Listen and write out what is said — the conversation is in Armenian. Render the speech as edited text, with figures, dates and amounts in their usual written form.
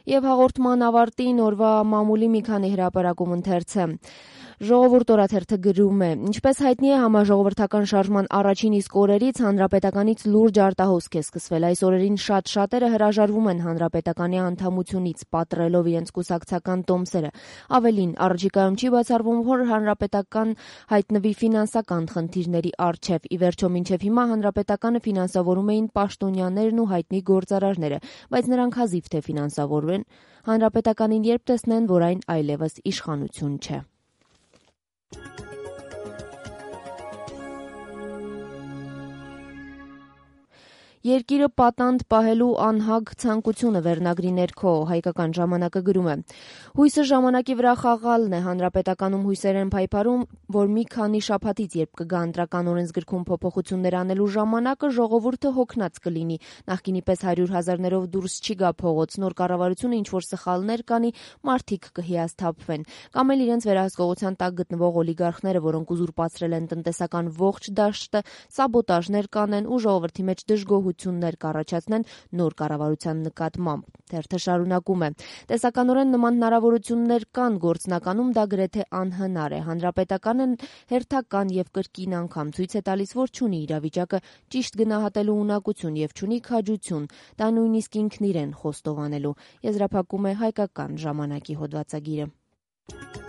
Եվ հաղորդման ավարտին օրվա մամուլի մի քանի հրապարակում ընթերցը։ Ժողովուրդ օրաթերթը գրում է. ինչպես հայտնի է, համաժողովրդական շարժման առաջին իսկ օրերից հանրապետականից լուրջ արտահոսք է սկսվել։ Այս օրերին շատերը հրաժարվում են հանրապետականի անդամությունից, պատռելով իրենց կուսակցական տոմսերը։ Ավելին, առաջիկայում չի բացառվում, որ հանրապետական հայտնվի ֆինանսական խնդիրների առջև։ Ի վերջո, մինչև հիմա հանրապետականը ֆինանսավորում էին պաշտոնյաներն ու հայտնի գործարարները, բայց նրանք հազիվ թե ֆինանսավորվեն հանրապետականին, երբ տեսնեն, որ այն այլևս իշխանություն չէ։ Երկիրը պատանդ պահելու անհագ ցանկությունը վերնագրի ներքո, հայկական ժամանակը գրում է. հույսը ժամանակի վրա խաղալն է, հանրապետականում հույսեր են փայփարում, որ մի քանի շաբաթից, երբ կգա ընտրական օրենսգրքում փոփոխություններ անելու ժամանակը, ժողովուրդը հոգնած կլինի, նախկինի պես 100,000-ներով դուրս չի գա փողոց, նոր կառավարությունը ինչ-որ սխալներ կանի, մարդիկ կհիասթափվեն, կամ էլ իրենց վերահսկողության տակ գտնվող օլիգարխները, որոնք ուզուրպացրել են տնտեսական ողջ դաշտը, սաբոտաժներ կանեն ու ժողովրդի մեջ դժգոհություններ կառաջացնեն նոր կառավարության նկատմամբ։ Թերթը շարունակում է. տեսականորեն նման հնարավորություններ կան, գործնականում դա գրեթե անհնար է։ Հանրապետականը հերթական եւ կրկին անգամ ցույց է տալիս, որ չունի իրավիճակը ճիշտ գնահատելու ունակություն եւ չունի քաջություն, դա նույնիսկ ինքն իրեն խոստովանելու։ Եզրափակում է հայկական ժամանակի հոդվածագիրը։